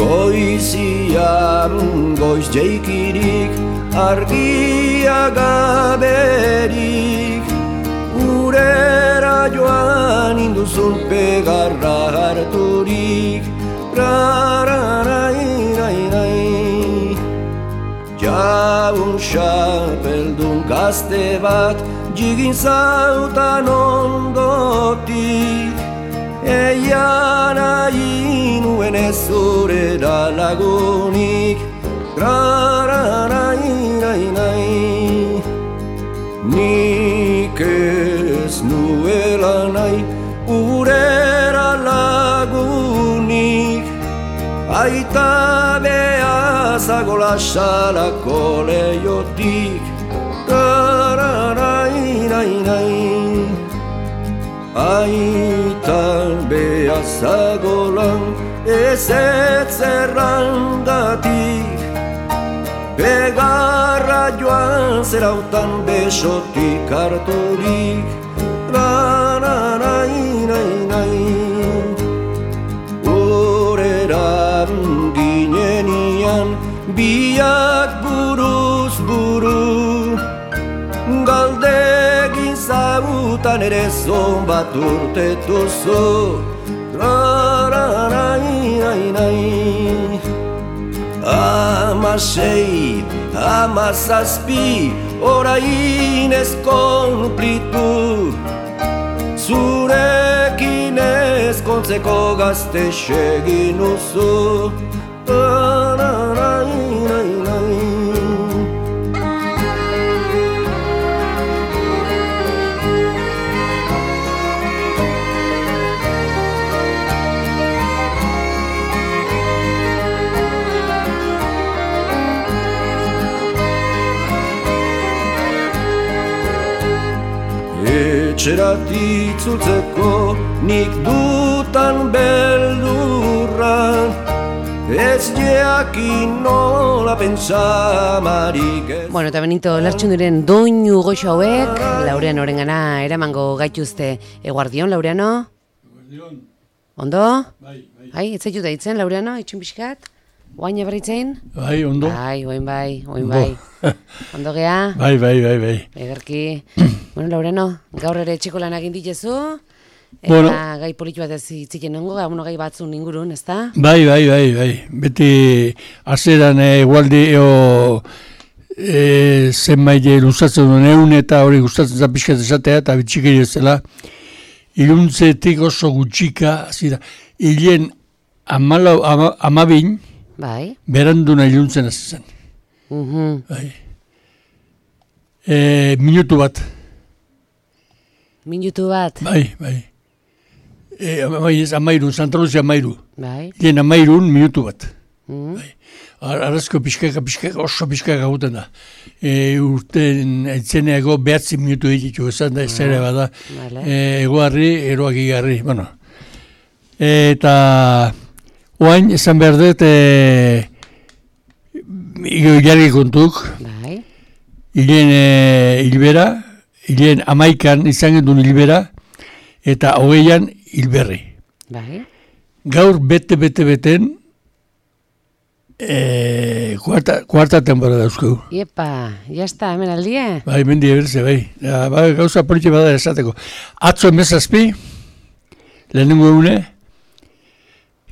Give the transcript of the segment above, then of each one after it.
Goizian goiz jeikirik, argia gaberik, urera joan induzun pegarra harturik, rararairai. Jaun xapeldun gazte bat, jigin zautan ondotik, eian nahi nuen ez zurera lagunik, rararairai. Nik ez nuela nahi urera lagunik, aita behazago lasalako leiotik, rararairai. Aita behazago lan ez zerrangatik, pegarra joan zerautan besotik harturik, rararairai. Horera ginenian biak buruz buru, galdegin zautan ere zon bat urtetuzu, rararairai. 16, 17, orain ez konplitu, zurekin ezkontzeko gazte segin uzu, rararairai. Etxerat itzultzeko nik dutan beldurra, ez jakin nola pentsamarik ez. Bueno, eta Benito Lertxunduren doinu goxo hauek, Laureano orengana eramango gaituzte. Eguardion, Laureano? Eguardion. Ondo? Bai. Bai, ez zaitu daitzen, Laureano, itxun pixkat? Oain eberritzen? Bai, ondo. Bai, oin bai. Ondo gea? Bai. Egerki. Bueno, Laureano, gaur ere etxeko lan egin ditezu, eta bueno, gai politu bat ez itziken nengo, gai batzun ingurun, ez da? Bai. Beti azeran egualdi zenbait luzatzen duen egun eta hori gustatzen za pixkat esatea eta bitxikeri ez dela. Iluntzetik oso gutxika, azira, hilen 12 Bai. beranduna iluntzen hasi zen. Bai. Minutu bat. Minutu bat? Bai. Amairun, Santa Luzia amairu. Bai. Lehen amairun minutu bat. Bai. Arrazko pixkaka oso pixkaka guten da. Urten etzeneago 9 minutu ditu esan da, ez ere bada. Egoarri, eroak igarri. Bueno. Eta oain esan behar dut jarri kontuk. Bai. Hilen hilbera, hilen 11 izan gendun hilbera, eta 20an hilberri. Bai. Gaur beten, kuarta temporada euskeu. Iepa, jazta, hemen aldie? Bai, mendi eberze, bai. Gauza politxe bada esateko. Atzo 17, lehenengo egune,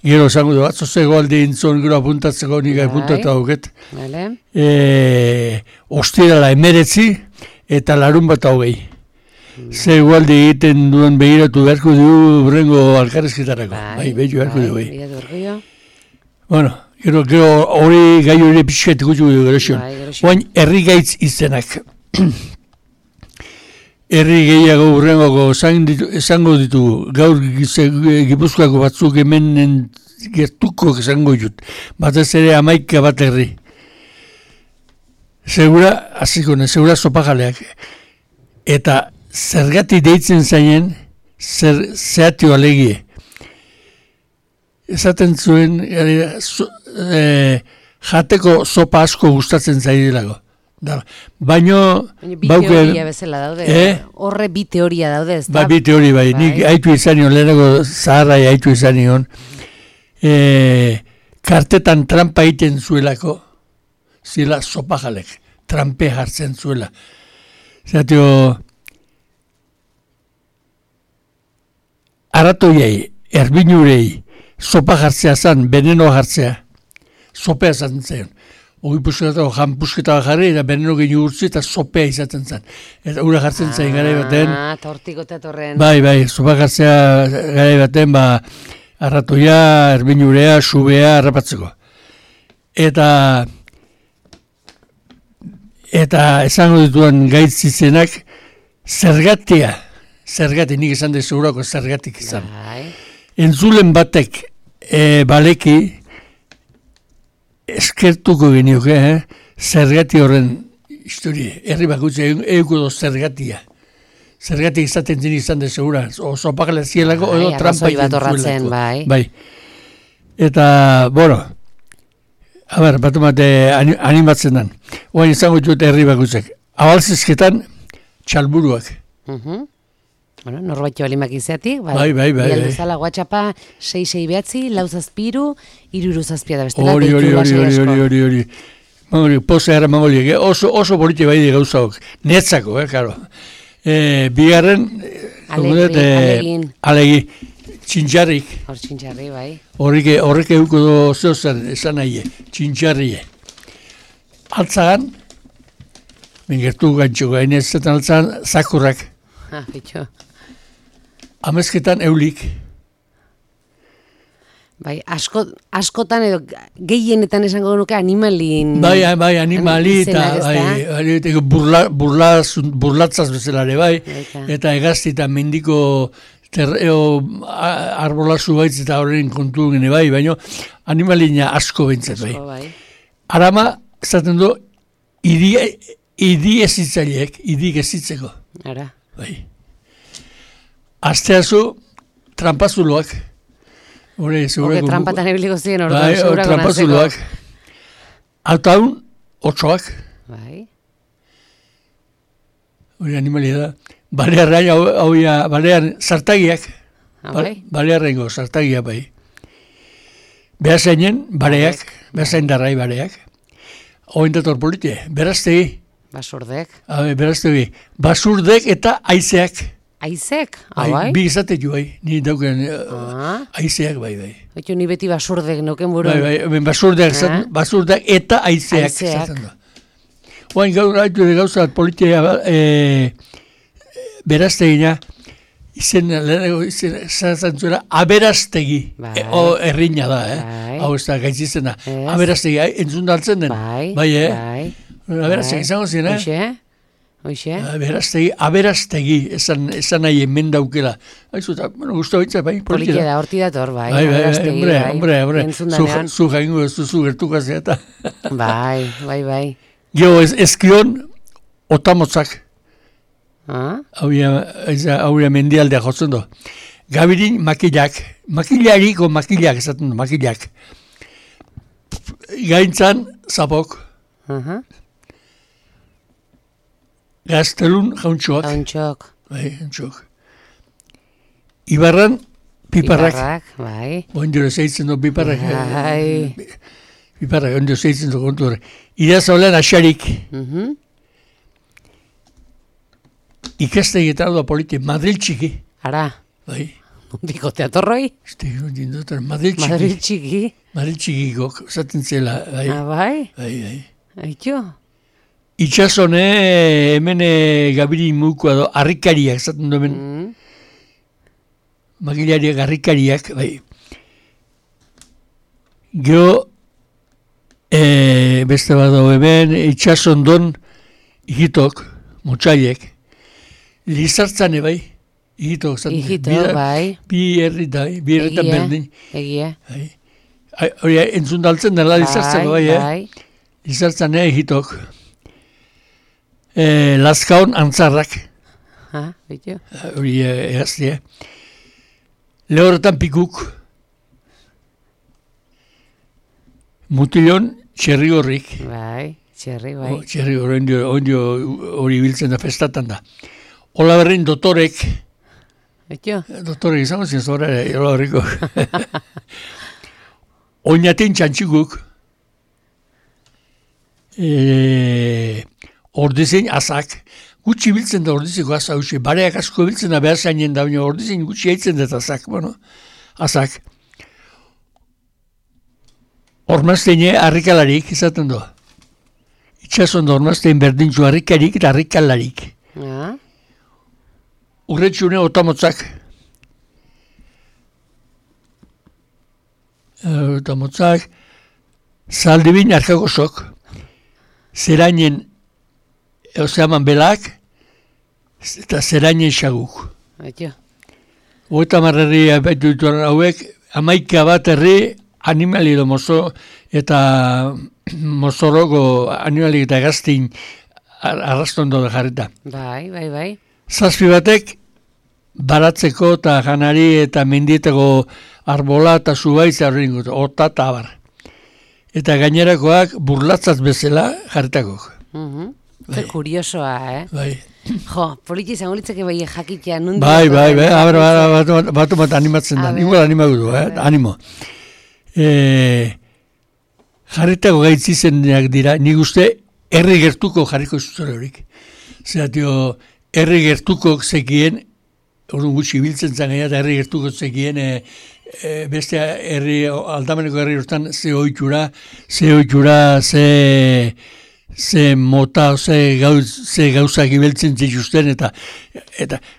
gero esango du, atzo zego alde intzon, gero apuntatzeko nik apuntatu hauket. Vale. Ostirala 19 eta larun bat 20. Ze gualde egiten duen begiratu beharko du brengo alkarrezketarako. Bai, behitu beharko du. Bueno, gero hori gai hori pixket gutxu du gero xion. Oain, herri gaitz izenak. Herri gehiago urrengoko esango ditugu, gaur Gipuzkoako batzuk hemen gertuko esango jut. Batez ere 11 bat herri. Segura, segura sopajaleak. Eta zergati deitzen zainen, zehatio alegie. Esaten zuen, jateko sopa asko gustatzen zaidelago. Baino bi teoria bezala daude. Horre bi teoria daude, ez da? Bi teoria bai. Nik haitu izan nion, lehenako zaharrai haitu izan nion. kartetan trampa egiten zuelako, zila sopajalek, trampe hartzen zuela. Zatio, aratoiei, erbinurei, sopa jartzea zan, veneno jartzea, sopea zaten zion. Ogi pusketako jan pusketako jarri, eta veneno geni urtzi, eta sopea izaten zan. Eta ura jartzen zain gara baten. Tortiko eta torren. Bai, sopa jartzea gara baten, arratoia, erbinurea, subea, harrapatzeko. Eta esango dituan gaitzizenak, zergati, nik esan da segurako zergatik izan. Entzulen batek baleki, eskertuko genioke, zergati horren historia, herri bakutze euko do zergatia. Zergatik izaten izan da segura, oso pakala zielako, edo trampa izaten zuelako. Bai. Eta, bat animatzen dan. Oain izango dut herri bakutzek. Abalzizketan, txalburuak. Norbait balimak izatik. Bai. Bialdezala guatxapa, 6 behatzi, lau zazpiru, iruru zazpia da bestela. Hori. Mangoli, posa gara mangoli. Oso politi bai di gauzaok. Netzako, karo. Bigarren, alegi, txintxarrik. Hor txintxarri, bai. Horrek euko do zeozen, esan nahi, txintxarrie. Altzagan, mengertu gantxo gainezetan altzagan, zakurrak. Betxo. Amezketan eulik. Bai, askotan edo gehienetan esango nuke animalin. Bai, animali eta burlatzaz bezalare, bai. Eta egazti eta mendiko arbolazu baitz eta horren kontu gene, bai, baina animalina asko bentzat, bai. Arama, zaten du, idi ezitzaileek, idik ezitzeko. Ara. Bai. Asteazu, trampazuloak. Oke, trampatan ebiliko ziren orduan, segurako nazeko. Trampazuloak. Altaun, otsoak. Bai. Hori animalia da. Balearen sartagiak. Balearengo sartagiak, bai. Behazainen, bareak, behazain darrai bareak. Ointator politie, beraztegi. Basurdek. Beraztegi. Basurdek eta aizeak. Aizek? Bai? Bi izate jo, bai. Ni dauken aizeak, bai. Oito, ni beti basurdek noken buru. Bai, basurdek eta aizeak. Oain gaur haitu de gauza politia beraztegina, izan aberaztegi. Errina da, hau ez da gaitzizena. Aberaztegi, entzun daltzen den. Bai. Aberaztegi izango ziren, Aberastegi, esan nahi hemen daukela. Aizu, guztu baitza, bai, politia da, horti dator, bai. Hombre, zu jaingo ez duzu gertukazea eta. Bai. Gio, ezkion, otamotzak. Hauria mendialdea jotzen du. Gabirin, makilak esaten du, makilak. Gaintzan, zapok. Gaztelun jauntxoak. Bai, jauntxoak. Ibarran, piparrak. Bai. Ondero zeitzen du piparrak. Piparrak, ondero zeitzen du kontu horre. Idazaulean asarik. Ikastegi eta hau da politia, Madril txiki. Ara. Bai. Nondiko teatorroi? Madril txiki. Madril txikikok, zaten zela. Bai? Bai. Aitxo? Itxasone, hemen gabiri mukoa do, harrikariak, zaten du hemen. Magilariak, harrikariak, bai. Geo, beste bado hemen, itxasondon, hitok, motxaiek, lizartzane, bai. Ihitok, zaten. Ihitok, bai. Bi herritan berdin. Egia. Hori, entzun daltzen dela lizartzako, bai. Lizartzane, ihitok. Lazkaon antzarrak. Bitu. Hori egaztia. Lehorretan pikuk. Mutilon txerri horrik. Bai, txerri, bai. Txerri ondio hori biltzen da festatan da. Ola berrein dotorek. Bitu. Dotorek izango zen zora, ola berriko. oinaten txantxikuk, ordezein azak, gutxi biltzen da ordezeko aza hausi, bareak asko biltzen da behar zainen da, ordezein gutxi haitzen dut azak, azak. Ormazteine harrikalarik, izaten du. Itxason da ormaztein berdintzu harrikarik eta harrikalarik. Urretxune otamotzak. Otamotzak, zaldibin arkagosok, zerainen ozeaman belak, eta zerainen xaguk. Oeta marrerri abaitu dituan hauek, 11 bat herri animali edo mozo eta mozoroko animali eta gaztin arrastondo da jarrita. Bai. Zazpi batek baratzeko eta janari eta mendietako arbola eta zubaitza horrein gutu, ota eta abar. Eta gainerakoak burlatzaz bezala jarritakok. Zer kuriosoa, Bai. Jo, politi izango litzake bai jakitea nundi. Bai, batu bat animatzen da, igual animatu du, animo. Jarritako gaitzizenak dira, nik uste herri gertuko jarriko zuzore horik. Zeratio, herri gertuko zekien, orduan gutxi biltzen zen eta herri gertuko zekien, beste herri, aldameneko herri hortan ze oitxura, ze mota, ze gauzak ibeltzen zituzten, eta,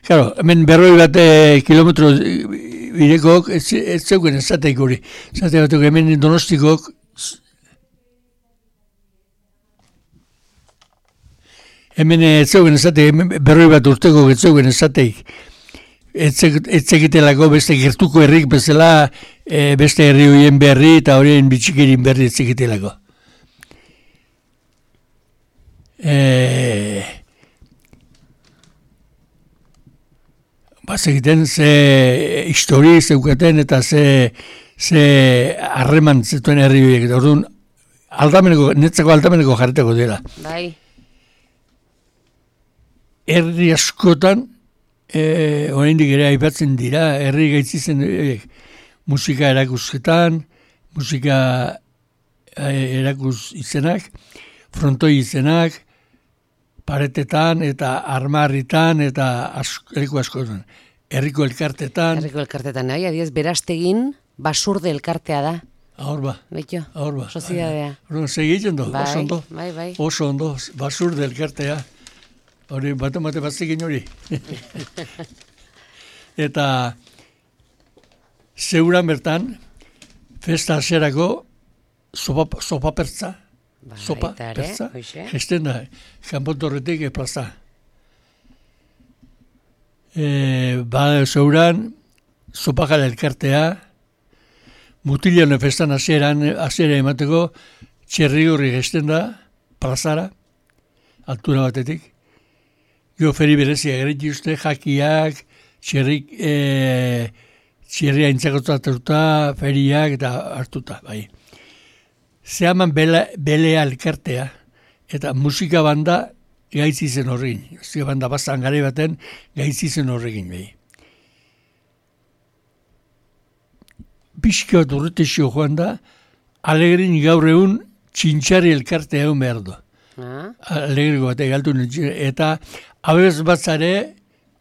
claro, hemen 40 bat kilometro birekok, ez zeuken ezateik hori. Zate batuk hemen Donostikok, hemen ez zeuken ezateik, 40 bat urteko ez zeuken ezateik. Ez zekitelako beste gertuko herrik bezala, beste herri horien berri eta horien bitxikerin berri ez zekitelako. Bazegiten ze histori zeukaten eta ze harreman zetuen herri horiek. Orduan, netzako aldameneko jarretako dela. Bai. Herri askotan, oraindik ere aipatzen dira, herri gaitzizen musika erakusketan, musika erakuz izenak, frontoi izenak, paretetan eta armarritan eta herriko askotan. Herriko elkartetan. Herriko elkartetan, nahi, adiez, Berastegin basurde elkartea da. Ahorba. Betxo, ahorba. Sozidadea. Segiten du, oso ondo. Bai. Oso ondo, basurde elkartea. Hori, bate batzekin hori. Eta zeuran bertan, festa haserako sopa pertza. Sopa pertza, gesten da, kanpotorretik plaza. Zeuran, sopakala elkartea, mutiliano festan hasera emateko, txerrigorri gesten da, plazara, altura batetik. Gio feri berezia gereti uste, jakiak, txerria intzakotzatuta, feriak eta hartuta, bai. Zehaman belea elkartea, eta musika banda gaitzi zen horregin. Musika banda bazan gare baten gaitzi zen horregin, bai. Pixka bat urretexio joan da, Alegrin gaur egun txintxarri elkartea egon behar du. Alegriko bat egaltu eta abez batzare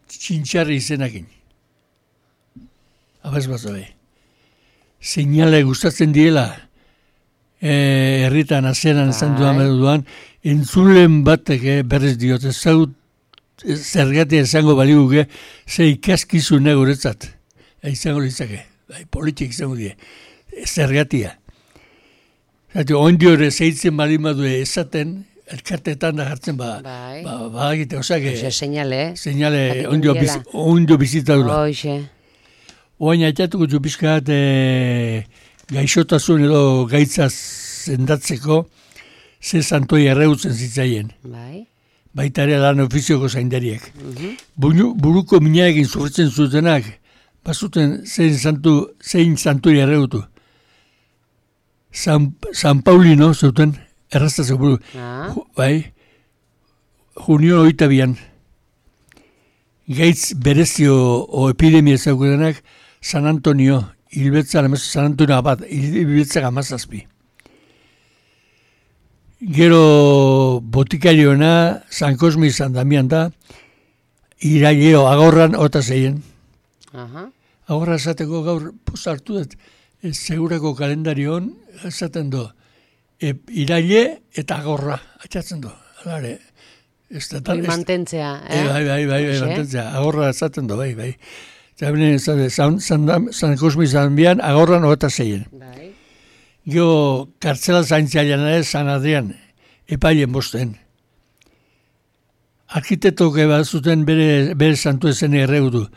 txintxarri izenakin. Abez batzare. Seinale gustatzen diela, herritan azeran esan duan, entzulen batek berrez diot, zergatia esango baliguke, ze ikaskizune guretzat. Izango litzake, politik izango die, zergatia. Ondio ere zeitzen balimadu esaten, elkartetan da jartzen badagite, osake, seinale ondio bizita dula. Oain aitatuko txupiskat gaixotasun edo gaitza zendatzeko ze santoi erreutzen zitzaien. Baita ere lan ofizioko zaindariek. Buruko minaekin zurtzen zutenak, bazuten zein santoi erreutu. San Paulino zuten erraztatzeko buru. Junio 22. Gaitz berezio o epidemia zaukutenak San Antonio Hilbetzan, zanantuna bat, hilbetzak 17. Gero botikariona, San Cosme y San Damián da, iraileo agorran 26. Agorra esateko gaur hartu dut, segurako kalendarion esaten du, iraile eta agorra, atxatzen du. Alare, mantentzea, Bai, mantentzea, agorra esaten du, bai. San Cosme y San Damián agorran 26. Bai. Gero kartzela zaintzailean ere San Adrian, epailen bosten. Arkitektok bat zuten bere santu ezen erreudu.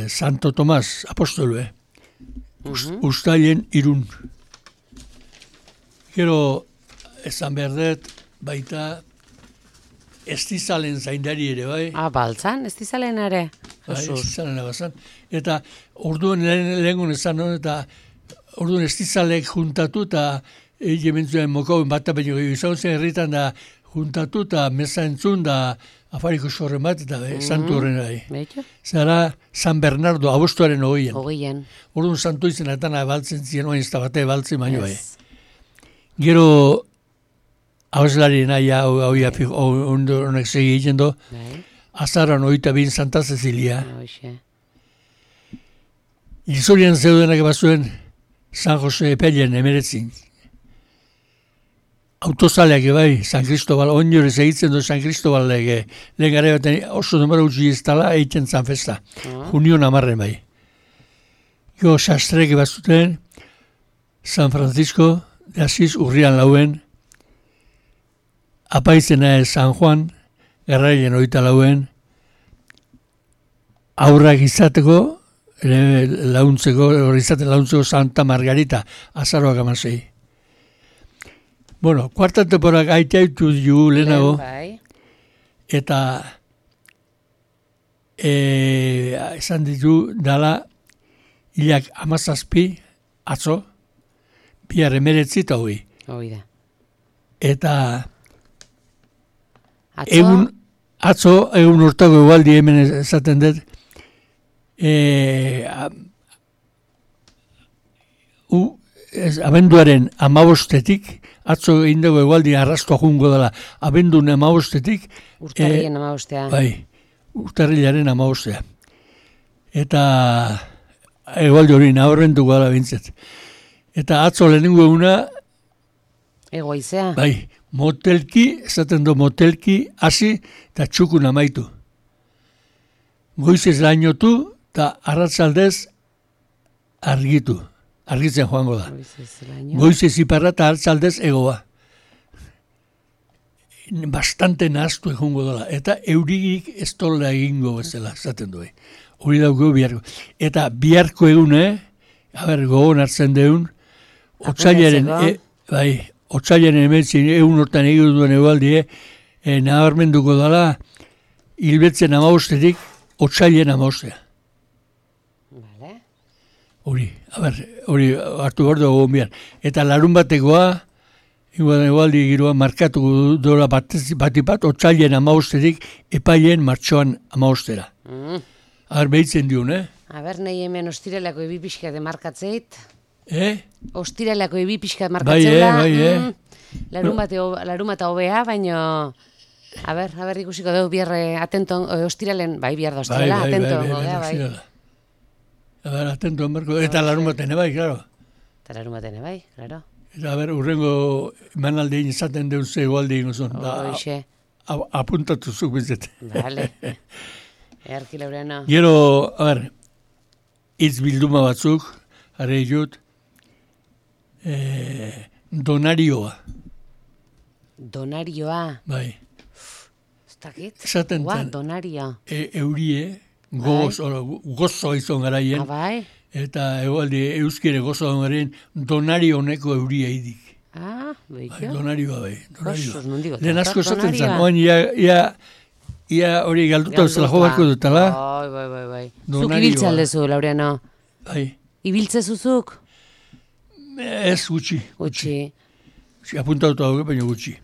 Santo Tomas, apostolu, Uztailen 3. Gero, esan behar dut, baita, estizalen zaindari ere, bai? Baltzan, estizalen ere? Estizalen abazan. Eta orduan lehengun esan hon, eta orduan estizalek juntatu, eta jementzuen mokoen bat baino izan zen herritan da juntatu, eta meza entzun, da afariko sorren bat, eta santu horren bai. Zara San Bernardo, agostuaren 20. Orduan santu izenetan baltzen ziren, oain ez da bate baltzen baino bai. Gero, hauslari nahi honek segi egiten do, azaran 22 Santa Cecilia. Izorian zeudenak bazuen San Jose Epelen 19. Autozaleak bai, San Cristobal, onjore segitzen du San Cristobal lehen gara baten oso numero utzi ez tala egiten zan festa. Junion 10 bai. Gero sastrek bazuten San Francisco de Asís urrian 4. Apaizena San Juan, garrailen 24. Aurrak izateko, launtzeko Santa Margarita, azaroak 16. Bueno, kuarta temporak aitaitu du lehenago, eta esan ditu dala hilak 17 atzo, bihar 19 eta 20. Eta egun urtako egualdi hemen esaten dut, abenduaren 15-etik, atzo egin dugu egualdi arrastoa jungo dela, abendun 15-etik, urtarrilen 15. Bai, urtarrilaren 15. Eta egualdi hori nahorrentuko dela bintzet. Eta atzo lehenengo eguna, egoizea. Bai, motelki, esaten du motelki, hasi eta txukun amaitu. Goizez lainotu eta arratzaldez argitzen joango da. Goizez iparra eta arratzaldez egoa. Bastante nahaztu egongo dela. Eta eurigik ez tola egingo bezala, esaten du. Hori dauko biharko. Eta biharko egune, gogon hartzen deun, otsailaren, otsailaren emetzin egun hortan egin duen egualdi, nabarmenduko dela, hilbetzen 15-etik, otsailen 15. Hori hartu behar dugu bihan. Eta larun batekoa, egualdi giroa markatu dola batipat, otsailen 15-etik, epailen martxoan 15-era. Behitzen diun, nahi hemen ostirelako ebi pixka demarkatzeit. Ostirelako ebi pixka markatzela. Larumata hobea, baino... ikusiko dugu bierre atento, ostirelen, bihar da ostirela, atento. Atento, eta larumaten bai, klaro. Eta larumaten bai, klaro. Eta urrengo manaldein izaten deun ze egualdi ingozun. Apuntatu zuk bizet. Bale. Earki Laureano. Gero, hitz bilduma batzuk, are jut, donarioa. Donarioa? Bai. Zdakit? Esaten zen. Donaria. Eurie, gozo izan garaien. Bai. Eta egualdi euskire gozo garaien donario honeko euria idik. Beiko? Donarioa bai. Kosos, nondigo. Lehen asko esaten zen. Oan, ia hori galduta zela jo barko dutala. Bai. Zuk ibiltza aldezu, Laureano. Bai. Ibiltze zuzuk? Ez gutxi. Gutxi. Apuntautu hau, baina gutxi.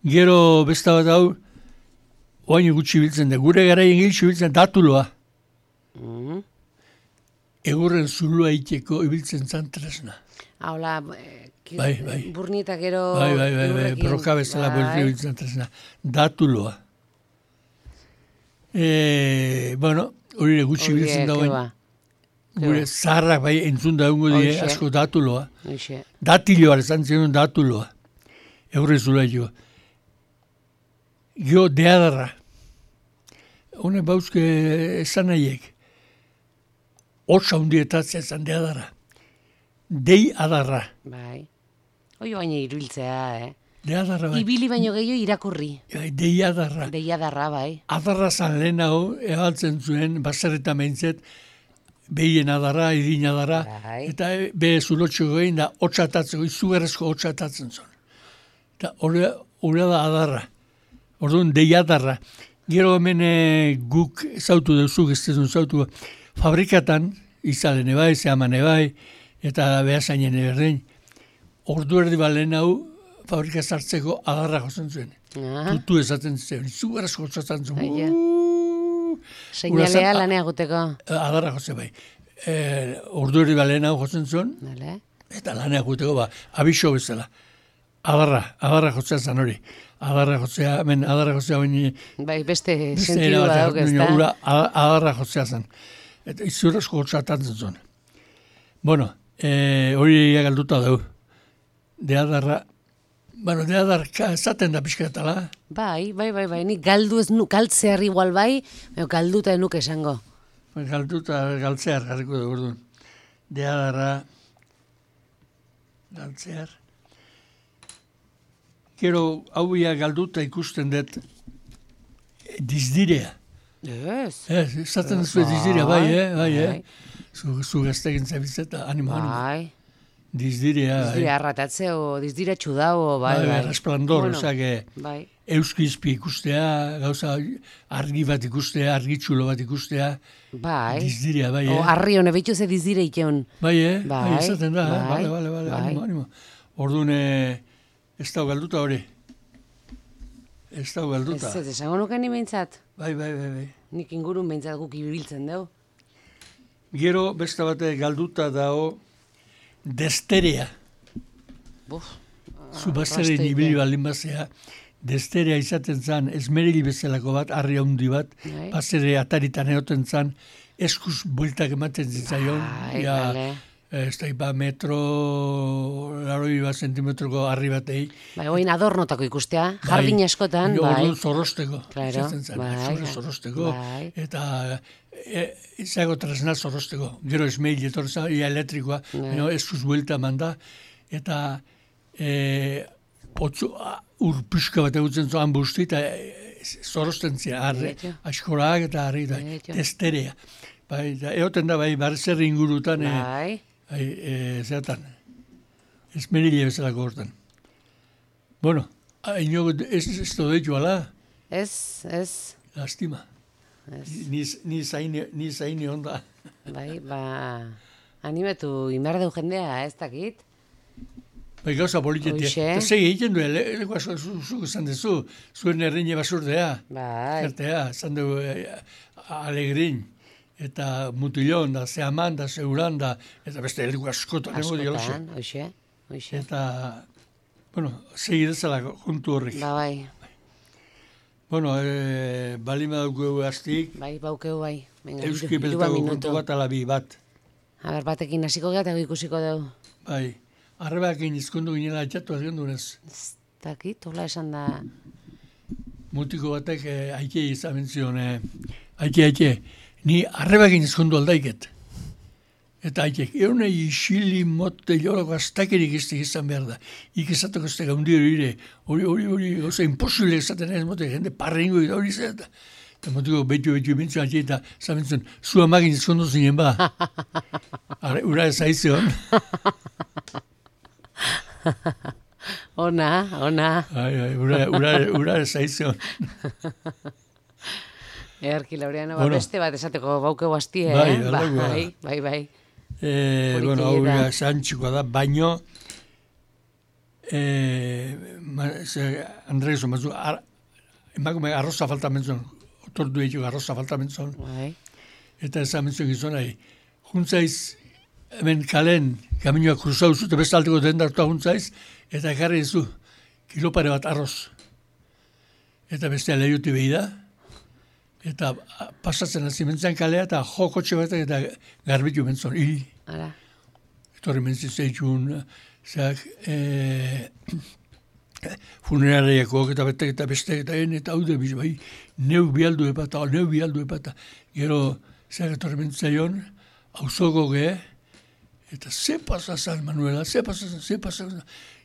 Gero besta bat hau, oain gutxi biltzen da. Gure garaien giltxu biltzen datuloa. egurren zulua iteko ibiltzen zan tresna. Hola, Bai. burnietak gero... Bai, broka bezala ibiltzen zan tresna. Datuloa. Bueno, hori gutxi ibiltzen dagoen. Gure zaharrak bai entzun daungo die asko datuloa. Datiloa, esan zenun datuloa. Egurren zulua iteko. Gio deadarra. Hone bauzke esan nahiek. Otsa hundietatzea esan deadarra. Dei adarra. Bai. Oio baina iruiltzea, Deadarra bai. Ibili baino gehiago irakurri. Dei adarra. Dei adarra, bai. Adarra zan lehenago, egaltzen zuen, baserreta meintzet, behien adarra, idin adarra, eta be zulotxeko egin da, otxatatzeko, izugarrezko otxatatzen zuen. Eta hori da adarra. Orduan, dei adarra. Gero hemen guk zautu duzuk, ez duzun zautu, fabrikatan, izalen ebai, zehaman ebai, eta behazainen eberdin, ordu erdi balen hau, fabrika zartzeko adarra jozen zuen. Tutu ezaten zuen, izugarrezko otxatzen zuen. Seinalea lanea guteko. Adarra jose bai. Ordu erdi balen hau jozen zuen, eta lanea guteko abiso bezala. Adarra jotzea zan hori. Adarra jotzea baina... Bai, beste sentidu badauk ez da. Adarra jotzea zan. Eta izurrezko hotxatatzen zuen. Bueno, hori galduta dugu. Deadarra esaten da pixkatala. Bai, nik galdu ez nuk, galtzear igual bai, galduta enuk esango. Galtzear garriko dugu orduan. Deadarra, galtzear. Gero, hau galduta ikusten dut dizdirea. Esaten zuen dizdirea, bai. Zu gaztekin zabitzeta, animo. Bai. Dizdirea. Dizdirea arratatzeo, dizdirea txudao, bai. Resplandor, euskizpi ikustea, gauza argi bat ikustea, argitxulo bat ikustea. Bai. Dizdirea, bai. Arri hone, behitu ze dizdire ikeon. Bai, esaten da, bale, animo. Orduan, ez da galduta hori. Ez da galduta. Ez, esango nuken ni behintzat. Bai. Nik ingurun behintzat guk ibiltzen dugu. Gero, beste bate galduta dago, desterea. Zubazaren ibili baldin bazea, desterea izaten zan, esmeril bezalako bat, arri handi bat, bazere ataritan egoten zan, eskuz bueltak ematen zitzaion, ez da metro, 80 zentimetroko arri batei. Bai, oin adornotako ikustea, jardin askotan, bai. Orduan zorrosteko, izaten zan, zorrosteko, eta izago tresna zorrosteko. Gero esmeil etorza, ia elektrikoa, eskuz buelta manda, eta urpiska bat egutzen zoan busti, eta zorrosten zia, askorak eta arri, desterea. Egoten da, barzer ingurutan, zeatan, esmerile bezalako hortan. Bueno, ez doditu ala? Ez. Lastima. Ni zaini onda. Bai, animatu inberdeu jendea, ez dakit. Bai, gauza politetia. Eta segi egiten du, lekoa zuk esan dezu, zuen erreine basurdea. Bai. Zertea, esan du alegrin. Eta mutilon, da zehaman, da zeuran, da, eta beste helduko askotan. Askotan, hoxe. Eta, bueno, segi dezala kontu horrek. Bai. Bueno, bali badauko hastik. Bai, baukeu bai. Euski bezatako kontu bat alabi bat. Batekin hasiko geha eta ikusiko dugu. Bai, arrebakin izkondu ginela atxatu azken dunez. Ez dakit, hola esan da. Mutiko batek aike izan zion, aike. Ni arrebakin izkondu aldaiket. Eta haitek, eunei isili mote jorako aztakerik izan behar da. Ikizatoko ez da gaundio ire, hori, oza, imposible ezaten ez mote, jende parrengo eta hori zeta. Eta motiko betu bintzun atxe eta zabentzun, zu amagin izkondu zinen ba. Ura ez aizion. Ona. Ura ez aizion. Earki Laureano, beste bat esateko baukeu hastie, Bai. Bueno, hau santxikoa da, baino Andrei zomazu, emakume arroza falta mentzun, otordu egiteko arroza falta mentzun. Eta ez mentzun gizonai, juntzaiz, hemen kalen, kaminoa kruzau zute, bestalteko dendartua juntzaiz, eta ekarri zu, kilopare bat arroz. Eta bestea lehiuti behi da, eta pasatzen hasi mentzen kalea, eta kotxe bat eta garbitu mentzon, Ara. Etorri mentzit zeitxun, funerariakoak eta betek eta bestek eta haude biz, bai, neu bialdu epata, gero, etorri mentzaion, hauzoko gehe, eta ze pasazan, Manuela, ze pasazan,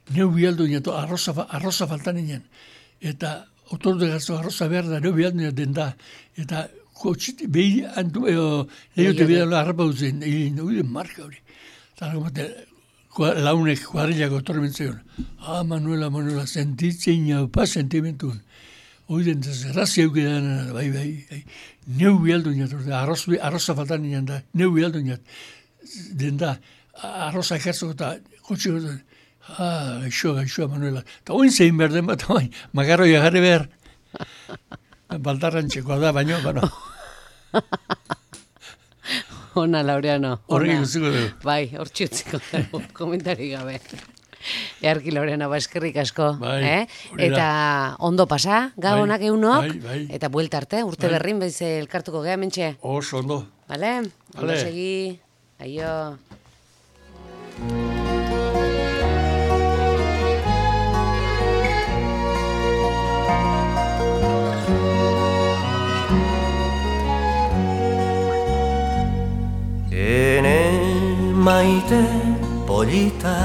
neu bialdu nien, arroza faltan nien, eta otor de garzo arroza behar da, neu bialdu nien den da, eta kotxiti, behi antu, lehiote bidan harrapa duzen, hori marka hori. Eta launek kuadrilako otor mentzaion, Manuela, sentitzen jaupa sentimentun. Oiden, zerrazia eukidan, bai, neu bialdu nien, arroza faltan nien da, neu bialdu nien, den da, arroza ekertzeko eta kotxe goten, gaixoa, Manuela. Eta oin zein behar den bat, magarroi agarri behar. Baldarrantxekoa da, baino. Ona, Laureano. Horrek guztiko dugu. Bai, hor txutziko dugu, komentari gabe. Earki, Laureano, eskerrik asko. Bai, eta ondo pasa, gabonak eunok. Bai. Eta buelta arte, urte berrin, bez elkartuko geha, mentxe. Oso ondo. Bale? Ondo segi. Aio. Ene maite polita